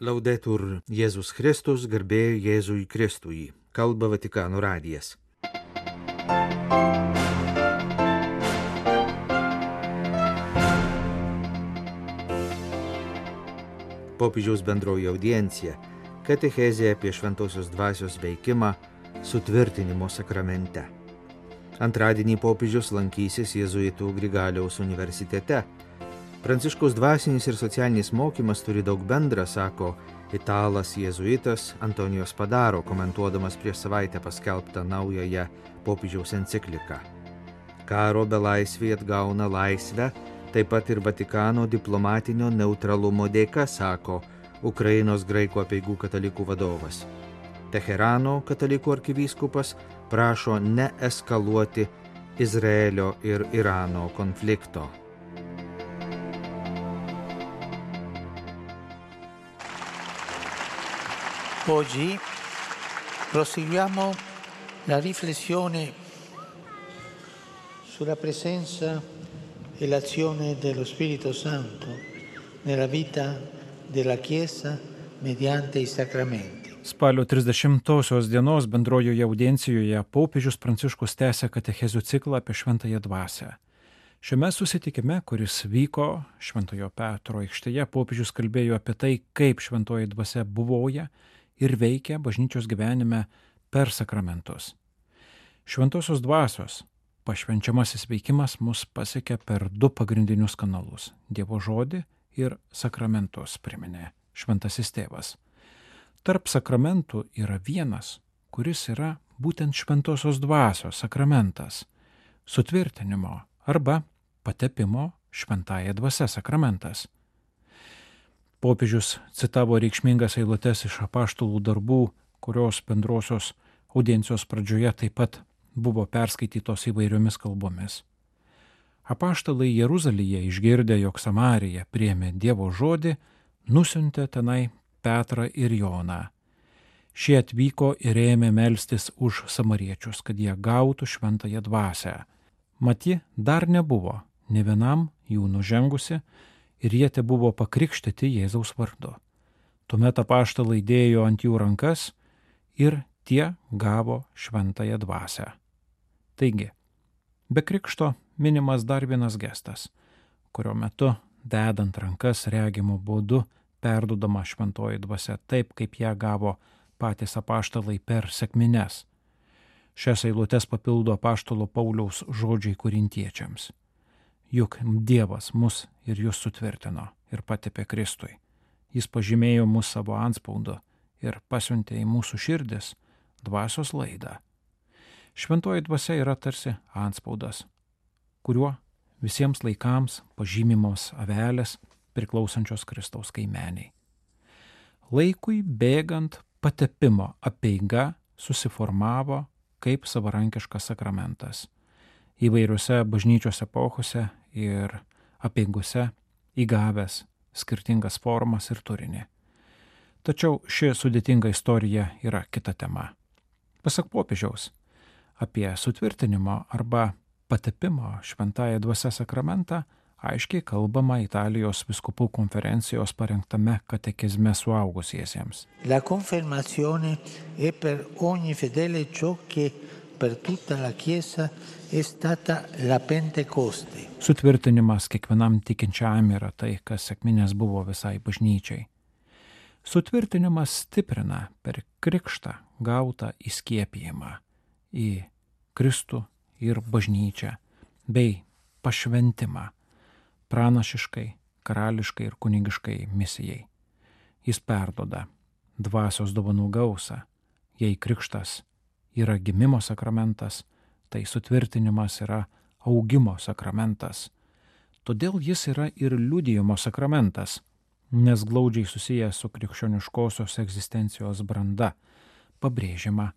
Laudetur Jėzus Kristus, garbė Jėzui Kristui. Kalba Vatikano radijas. Popiežiaus bendroji audiencija, katechezė apie šventosios dvasios veikimą sutvirtinimo sakramente. Antradienį popiežius lankysis Jėzuitų Grigaliaus universitete. Pranciškaus dvasinis ir socialinis mokymas turi daug bendra, sako italas jėzuitas Antonijos Padaro, komentuodamas prieš savaitę paskelbtą naująją popiežiaus encikliką. Karo belaisviai atgauna laisvę, taip pat ir Vatikano diplomatinio neutralumo dėka, sako Ukrainos graikų apeigų katalikų vadovas. Teherano katalikų arkivyskupas prašo neeskaluoti Izraelio ir Irano konflikto. Oggi proseguiamo la riflessione sulla presenza e l'azione dello Spirito Santo nella vita della Chiesa mediante i sacramenti. Spalio 30 dienos bendrojoje audiencijoje popiežius Pranciškus tęsia katechezių ciklą apie šventąją dvasią. Šiame susitikime, kuris vyko Šventojo Petro aikštėje, popiežius kalbėjo apie tai, kaip šventoji dvasia buvoja ir veikia bažnyčios gyvenime per sakramentus. Šventosios dvasios pašvenčiamasis veikimas mus pasiekia per du pagrindinius kanalus – Dievo žodį ir sakramentus, priminė šventasis tėvas. Tarp sakramentų yra vienas, kuris yra būtent šventosios dvasios sakramentas – sutvirtinimo arba patepimo šventąja dvasia sakramentas. Popiežius citavo reikšmingas eilutes iš apaštalų darbų, kurios bendrosios audiencijos pradžioje taip pat buvo perskaitytos įvairiomis kalbomis. Apaštalai Jeruzalėje išgirdę, jog Samarija priėmė Dievo žodį, nusiuntė tenai Petrą ir Joną. Šie atvyko ir ėmė melstis už samariečius, kad jie gautų šventąją dvasią. Mat ji dar nebuvo nė vienam jų nužengusi, ir jie te buvo pakrikštyti Jėzaus vardu. Tuomet apaštalai dėjo ant jų rankas ir tie gavo šventąją dvasią. Taigi, be krikšto minimas dar vienas gestas, kurio metu, dedant rankas regimo būdu, perduodama šventoji dvasia taip, kaip ją gavo patys apaštalai per sekmines. Šias eilutes papildo apaštalo Pauliaus žodžiai korintiečiams. Juk Dievas mus ir jūs sutvirtino ir patepė Kristui. Jis pažymėjo mus savo antspaudu ir pasiuntė į mūsų širdis dvasios laidą. Šventoji dvasia yra tarsi antspaudas, kuriuo visiems laikams pažymimos avelės priklausančios Kristaus kaimeniai. Laikui bėgant patepimo apeiga susiformavo kaip savarankiškas sakramentas. Įvairiose bažnyčios epochose ir apeigose įgavęs skirtingas formas ir turinį. Tačiau ši sudėtinga istorija yra kita tema. Pasak popiežiaus, apie sutvirtinimo arba patepimo šventąją dvasią sakramentą aiškiai kalbama Italijos vyskupų konferencijos parengtame katekizme suaugusiesiems. La confermazione è per ogni fedele ciò che per tutta la Chiesa è stata la Pentecoste. Sutvirtinimas kiekvienam tikinčiam yra tai, kas sekminės buvo visai bažnyčiai. Sutvirtinimas stiprina per krikštą gautą įskiepijimą į Kristų ir bažnyčią, bei pašventimą pranašiškai, karališkai ir kunigiškai misijai. Jis perduoda dvasios dovanų gausą, jei krikštas yra gimimo sakramentas, tai sutvirtinimas yra augimo sakramentas. Todėl jis yra ir liudijimo sakramentas, nes glaudžiai susijęs su krikščioniškosios egzistencijos branda, pabrėžiama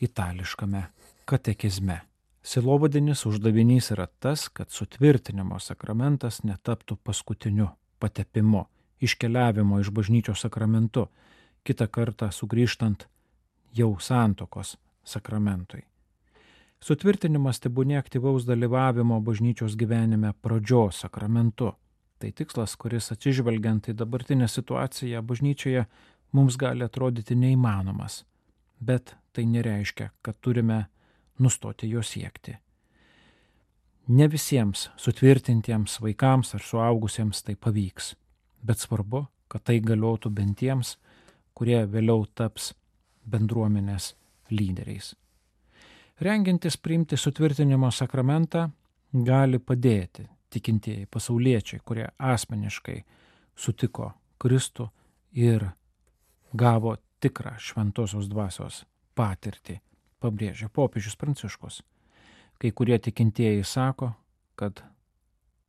itališkame katekizme. Sielovadinis uždavinys yra tas, kad sutvirtinimo sakramentas netaptų paskutiniu patepimu, iškeliavimo iš bažnyčios sakramentu, kitą kartą sugrįžtant jau santuokos sakramentui. Sutvirtinimas tebūnie aktyvaus dalyvavimo bažnyčios gyvenime pradžios sakramentu, Tai tikslas, kuris atsižvelgiant į dabartinę situaciją bažnyčioje mums gali atrodyti neįmanomas, bet tai nereiškia, kad turime nustoti jo siekti. Ne visiems sutvirtintiems vaikams ar suaugusiems tai pavyks, bet svarbu, kad tai galiotų bent tiems, kurie vėliau taps bendruomenės lyderiais. Rengiantis priimti sutvirtinimo sakramentą gali padėti tikintieji pasauliečiai, kurie asmeniškai sutiko Kristų ir gavo tikrą šventosios dvasios patirtį, pabrėžia popiežius Pranciškus. Kai kurie tikintieji sako, kad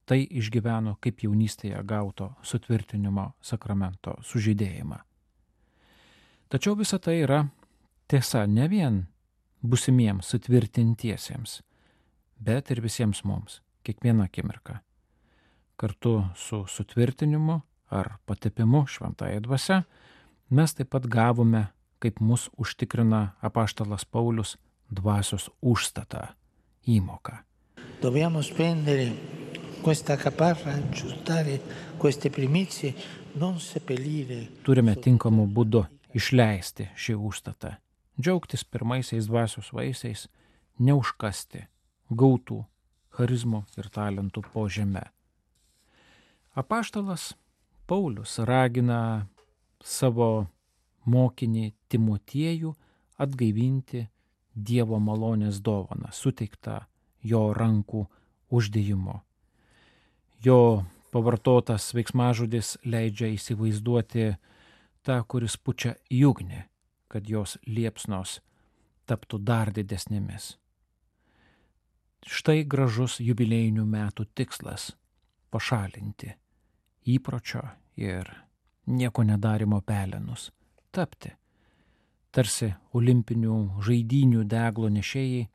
tai išgyveno kaip jaunystėje gauto sutvirtinimo sakramento sužydėjimą. Tačiau visa tai yra tiesa ne vien būsimiems sutvirtintiesiems, bet ir visiems mums, kiekvieną akimirką. Kartu su sutvirtinimu ar patepimu šventąja dvasia mes taip pat gavome, kaip mus užtikrina apaštalas Paulius, dvasios užstatą, įmoką. Dobbiamo spendere questa caparra, aggiustare queste primizie, non seppellire. Turime tinkamu būdu išleisti šį užstatą, džiaugtis pirmaisiais dvasios vaisiais, neužkasti gautų charizmų ir talentų po žeme. Apaštalas Paulius ragina savo mokinį Timotiejų atgaivinti Dievo malonės dovaną, suteiktą jo rankų uždėjimu. Jo pavartotas veiksmažodis leidžia įsivaizduoti tą, kuris pučia į ugnį, kad jos liepsnos taptų dar didesnėmis. Štai gražus jubiliejinių metų tikslas – pašalinti įpročio ir nieko nedarimo pelenus, tapti tarsi olimpinių žaidynių deglo nešėjai,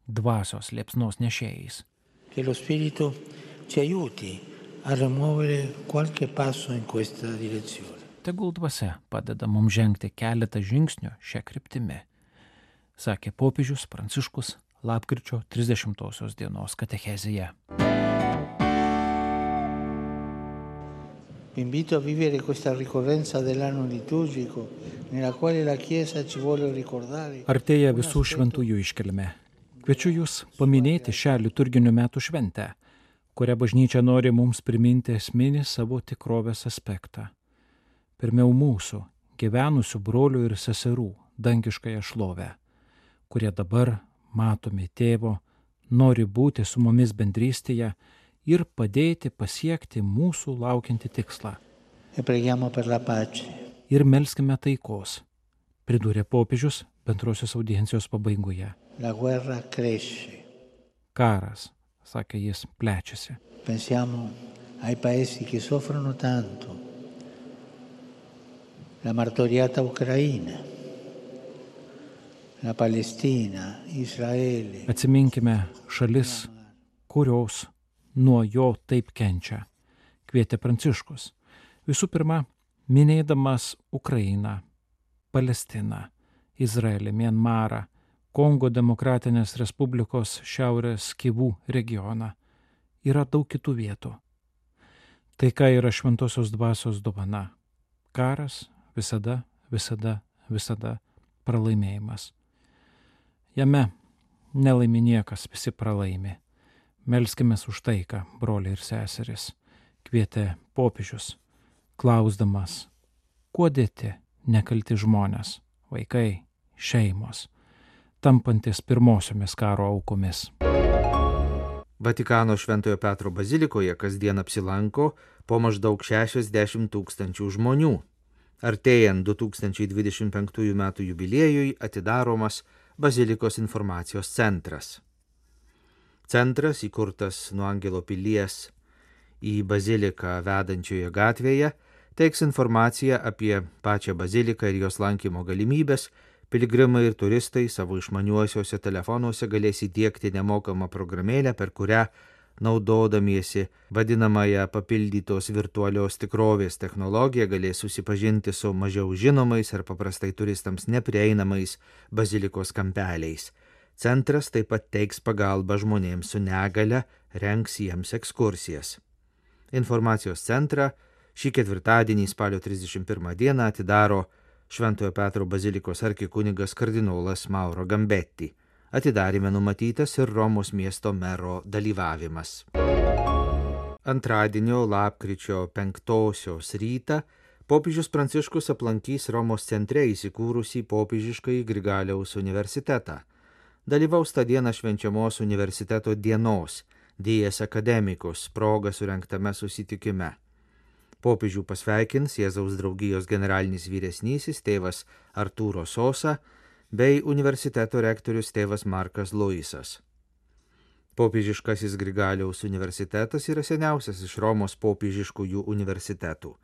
dvasios liepsnos nešėjais. Che lo Spirito ci aiuti a rimuovere qualche passo in questa direzione. Tegul dvasia padeda mums žengti keletą žingsnių šią kryptimį, sakė popiežius Pranciškus lapkričio 30 dienos katechezėje. Vi invito a vivere questa ricorrenza dell'anno liturgico nella quale la Chiesa ci vuole ricordare. Artėja visų šventųjų iškilmė. Kviečiu jūs paminėti šią liturginių metų šventę, kurią bažnyčia nori mums priminti esminį savo tikrovės aspektą. Pirmiau mūsų, gyvenusių brolių ir seserų, dangiškąją šlovę, kurie dabar, matomi tėvo, nori būti su mumis bendrystėje ir padėti pasiekti mūsų laukiantį tikslą. E preghiamo per la pace. Ir melskime taikos, pridūrė popiežius bendrosios audiencijos pabaigoje. La guerra cresce. Karas, sakė jis, plečiasi. Pensiamo ai paesi che soffrono tanto. La martoriata Ucraina, la Palestina, Izraelė. Atsiminkime šalis, kurios nuo jo taip kenčia, kvietė Pranciškus. Visų pirma, minėdamas Ukrainą, Palestiną, Izraelį, Mianmarą, Kongo Demokratinės Respublikos Šiaurės Kivų regioną. Yra daug kitų vietų. Taika yra šventosios dvasios dovana. Karas visada pralaimėjimas. Jame nelaimi niekas, visi pralaimi. Melskimės už taiką, broliai ir seserys, kvietė popiežius, klausdamas, kuo dėti nekalti žmonės, vaikai, šeimos, tampantis pirmosiomis karo aukomis. Vatikano Šventojo Petro bazilikoje kasdien apsilanko po maždaug 60 000 žmonių. Artėjant 2025 m. jubiliejui atidaromas bazilikos informacijos centras. Centras, įkurtas nuo Angelo pilies į baziliką vedančioje gatvėje, teiks informaciją apie pačią baziliką ir jos lankymo galimybės. Piligrimai ir turistai savo išmaniuosiuose telefonuose galės įdiegti nemokamą programėlę, per kurią, naudodamiesi vadinamąją papildytos virtualios tikrovės technologiją, galės susipažinti su mažiau žinomais ar paprastai turistams neprieinamais bazilikos kampeliais. Centras taip pat teiks pagalbą žmonėms su negale, rengs jiems ekskursijas. Informacijos centrą šį ketvirtadienį spalio 31 dieną atidaro Šventojo Petro bazilikos arkikunigas kardinolas Mauro Gambetti. Atidarime numatytas ir Romos miesto mero dalyvavimas. Antradienio lapkričio 5 rytą popiežius Pranciškus aplankys Romos centre įsikūrusį popiežiškąjį Grigaliaus universitetą. Dalyvaus tą dieną švenčiamos universiteto dienos Dies Academicus proga surengtame susitikime. Popiežių pasveikins Jėzaus draugijos generalinis vyresnysis tėvas Artūro Sosa bei universiteto rektorius tėvas Markas Luisas. Popiežiškasis Grigaliaus universitetas yra seniausias iš Romos popiežiškųjų universitetų.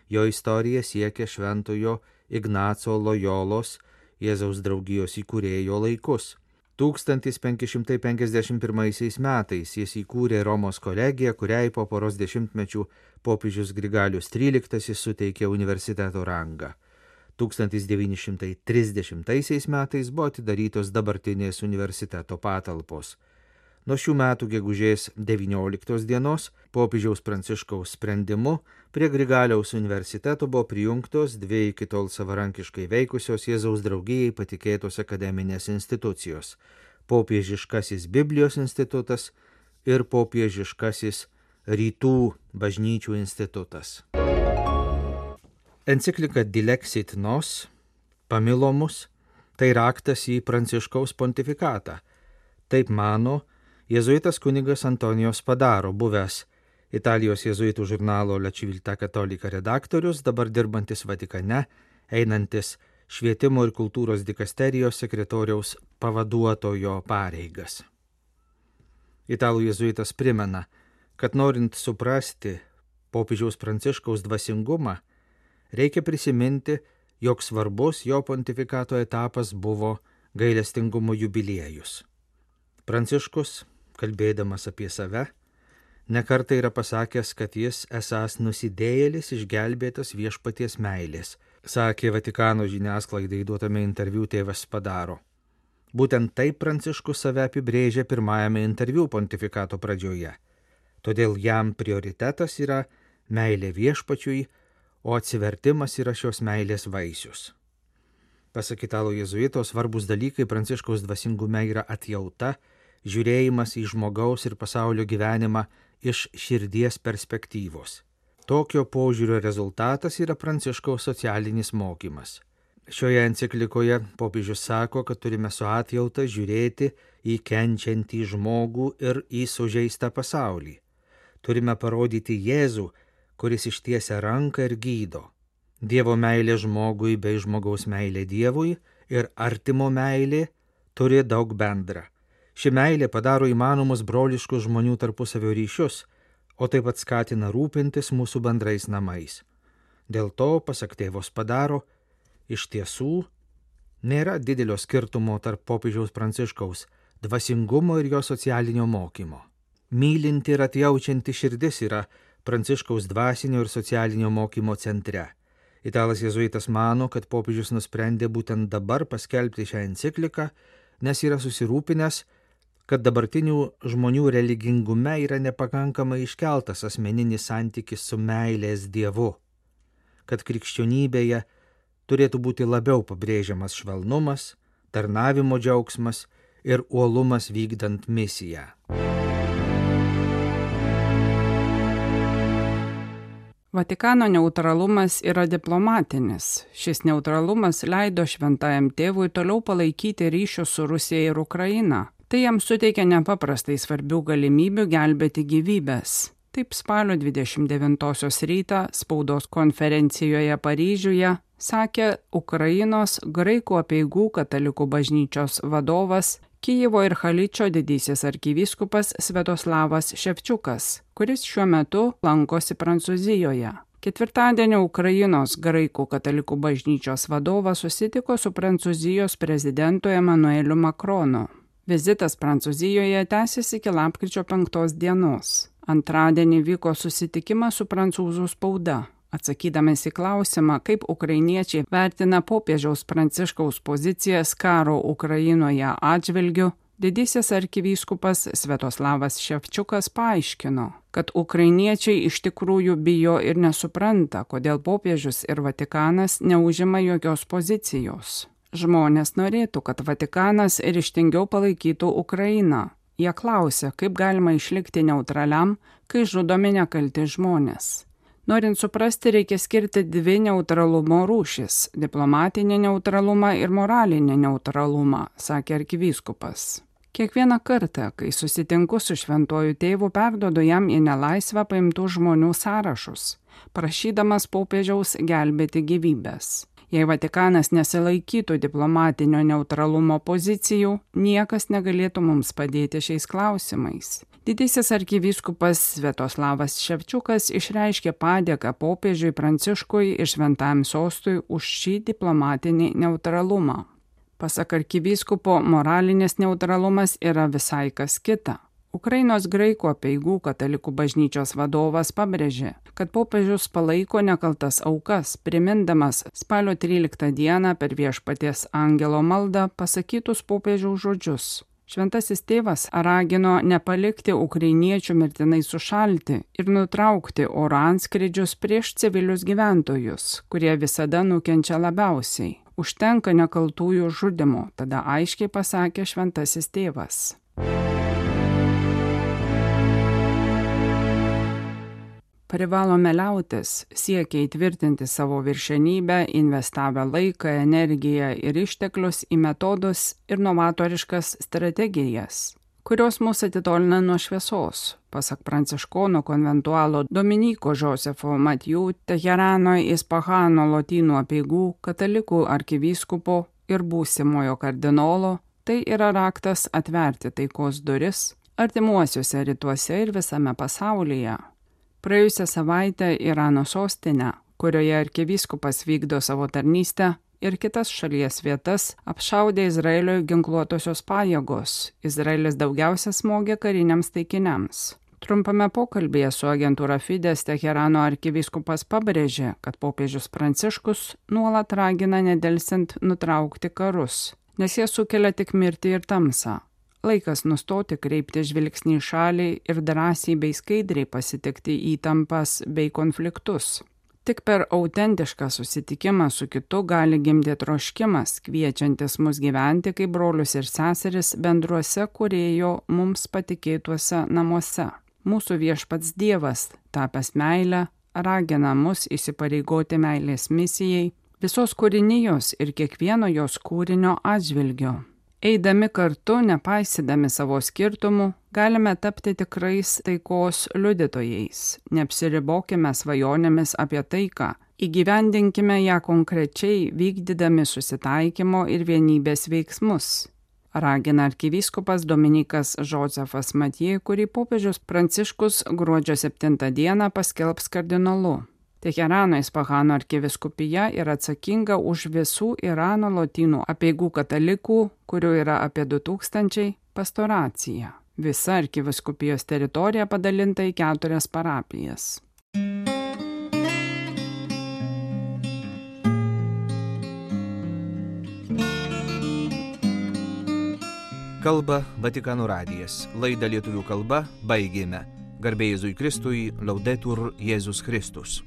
Jo istorija siekia šventojo Ignaco Lojolos Jėzaus draugijos įkūrėjo laikus. 1551 metais jis įkūrė Romos kolegiją, kuriai po poros dešimtmečių popiežius Grigalius XIII suteikė universiteto rangą. 1930 metais buvo atidarytos dabartinės universiteto patalpos. Nuo šių metų gegužės 19 dienos popiežiaus Pranciškaus sprendimu prie Grigaliaus universiteto buvo prijungtos dvi iki tol savarankiškai veikusios Jėzaus draugijai patikėtos akademinės institucijos – Popiežiškasis Biblijos institutas ir Popiežiškasis Rytų bažnyčių institutas. Enciklika Dilexit Nos, pamilo mus, tai raktas į Pranciškaus pontifikatą. Taip mano jėzuitas kunigas Antonio Spadaro, buvęs Italijos jėzuitų žurnalo La Civiltà Cattolica redaktorius, dabar dirbantis Vatikane, einantis švietimo ir kultūros dikasterijos sekretoriaus pavaduotojo pareigas. Italų jėzuitas primena, kad norint suprasti popiežiaus Pranciškaus dvasingumą, reikia prisiminti, jog svarbus jo pontifikato etapas buvo gailestingumo jubiliejus. Pranciškus, kalbėdamas apie save, nekartą yra pasakęs, kad jis esąs nusidėjėlis išgelbėtas viešpaties meilės, sakė Vatikano žiniasklaidai duotame interviu tėvas Spadaro. Būtent taip Pranciškus save apibrėžė pirmajame interviu pontifikato pradžioje. Todėl jam prioritetas yra meilė viešpačiui, o atsivertimas yra šios meilės vaisius. Pasak Italo jėzuito, svarbus dalykai Pranciškaus dvasingume yra atjauta, žiūrėjimas į žmogaus ir pasaulio gyvenimą iš širdies perspektyvos. Tokio požiūrio rezultatas yra Pranciškaus socialinis mokymas. Šioje enciklikoje popiežius sako, kad turime su atjauta žiūrėti į kenčiantį žmogų ir į sužeistą pasaulį. Turime parodyti Jėzų, kuris ištiesia ranką ir gydo. Dievo meilė žmogui bei žmogaus meilė Dievui ir artimo meilė turi daug bendra. Ši meilė padaro įmanomus broliškus žmonių tarpusavio ryšius, o taip pat skatina rūpintis mūsų bendrais namais. Dėl to, pasak tėvo Spadaro, iš tiesų nėra didelio skirtumo tarp popiežiaus Pranciškaus dvasingumo ir jo socialinio mokymo. Mylinti ir atjaučianti širdis yra Pranciškaus dvasinio ir socialinio mokymo centre. Italas jėzuitas mano, kad popiežius nusprendė būtent dabar paskelbti šią encikliką, nes yra susirūpinęs, kad dabartinių žmonių religingume yra nepakankamai iškeltas asmeninis santykis su meilės Dievu, kad krikščionybėje turėtų būti labiau pabrėžiamas švelnumas, tarnavimo džiaugsmas ir uolumas vykdant misiją. Vatikano neutralumas yra diplomatinis. Šis neutralumas leido šventajam tėvui toliau palaikyti ryšius su Rusija ir Ukraina. Tai jam suteikia nepaprastai svarbių galimybių gelbėti gyvybės. Taip spalio 29 rytą spaudos konferencijoje Paryžiuje sakė Ukrainos graikų apeigų katalikų bažnyčios vadovas Kijevo ir Haličio didysis arkivyskupas Sviatoslavas Ševčiukas, kuris šiuo metu lankosi Prancūzijoje. Ketvirtadienį Ukrainos graikų katalikų bažnyčios vadovas susitiko su Prancūzijos prezidentu Emmanueliu Macronu. Vizitas Prancūzijoje tęsiasi iki lapkričio 5 dienos. Antradienį vyko susitikimas su prancūzų spauda. Atsakydamas į klausimą, kaip ukrainiečiai vertina popiežiaus Pranciškaus pozicijas karo Ukrainoje atžvilgiu, Didysis arkivyskupas Sviatoslavas Ševčiukas paaiškino, kad ukrainiečiai iš tikrųjų bijo ir nesupranta, kodėl popiežius ir Vatikanas neužima jokios pozicijos. Žmonės norėtų, kad Vatikanas ryžtingiau palaikytų Ukrainą. Jie klausia, kaip galima išlikti neutraliam, kai žudomi nekalti žmonės. Norint suprasti, reikia skirti dvi neutralumo rūšis – diplomatinį neutralumą ir moralinį neutralumą, sakė arkivyskupas. Kiekvieną kartą, kai susitinku su šventuoju tėvu, perduodu jam į nelaisvę paimtų žmonių sąrašus, prašydamas popiežiaus gelbėti gyvybės. Jei Vatikanas nesilaikytų diplomatinio neutralumo pozicijų, niekas negalėtų mums padėti šiais klausimais. Didysis arkivyskupas Sviatoslavas Ševčiukas išreiškė padėką popiežiui Pranciškui ir Šventajam sostui už šį diplomatinį neutralumą. Pasak arkivyskupo, moralinis neutralumas yra visai kas kita. Ukrainos graikų apeigų katalikų bažnyčios vadovas pabrėžė, kad popiežius palaiko nekaltas aukas, primindamas spalio 13 dieną per Viešpaties angelo maldą pasakytus popiežiaus žodžius. Šventasis tėvas ragino nepalikti ukrainiečių mirtinai sušalti ir nutraukti oro antskrydžius prieš civilius gyventojus, kurie visada nukenčia labiausiai. Užtenka nekaltųjų žudimo, tada aiškiai pasakė šventasis tėvas. Privalome liautis, siekia įtvirtinti savo viršenybę, investavę laiką, energiją ir išteklius į metodus ir novatoriškas strategijas, kurios mus atitolina nuo šviesos, pasak pranciškonų konventualo Dominyko Josefo Matijų, Teherano Ispahano lotynų apeigų, katalikų arkivyskupo ir būsimojo kardinolo. Tai yra raktas atverti taikos duris artimuosiuose rytuose ir visame pasaulyje. Praėjusią savaitę Irano sostinę, kurioje arkivyskupas vykdo savo tarnystę, ir kitas šalies vietas apšaudė Izraelio ginkluotosios pajėgos. Izraelis daugiausia smogė kariniams taikiniams. Trumpame pokalbėje su agentūra Fides Teherano arkivyskupas pabrėžė, kad popiežius Pranciškus nuolat ragina nedelsint nutraukti karus, nes jie sukelia tik mirtį ir tamsą. Laikas nustoti kreipti žvilgsnį į šalį ir drąsiai bei skaidriai pasitikti įtampas bei konfliktus. Tik per autentišką susitikimą su kitu gali gimti troškimas, kviečiantis mus gyventi kaip brolius ir seseris bendruose Kūrėjo mums patikėtuose namuose. Mūsų viešpats Dievas, tapęs meilę, ragina mus įsipareigoti meilės misijai, visos kūrinijos ir kiekvieno jos kūrinio atžvilgio. Eidami kartu, nepaisydami savo skirtumų, galime tapti tikrais taikos liudytojais. Neapsiribokime svajonėmis apie taiką, įgyvendinkime ją konkrečiai, vykdydami susitaikymo ir vienybės veiksmus. Ragina arkivyskupas Dominykas Josefas Matijų, kurį popiežius Pranciškus gruodžio 7 dieną paskelbs kardinolu. Teherano Ispahano arkivyskupija yra atsakinga už visų Irano lotynų apeigų katalikų, kurių yra apie 2000, pastoraciją. Visa arkivyskupijos teritorija padalinta į 4 parapijas. Kalba Vatikano radijas. Laidą lietuvių kalba baigėme. Garbė Jėzui Kristui, Laudetur Jėzus Kristus.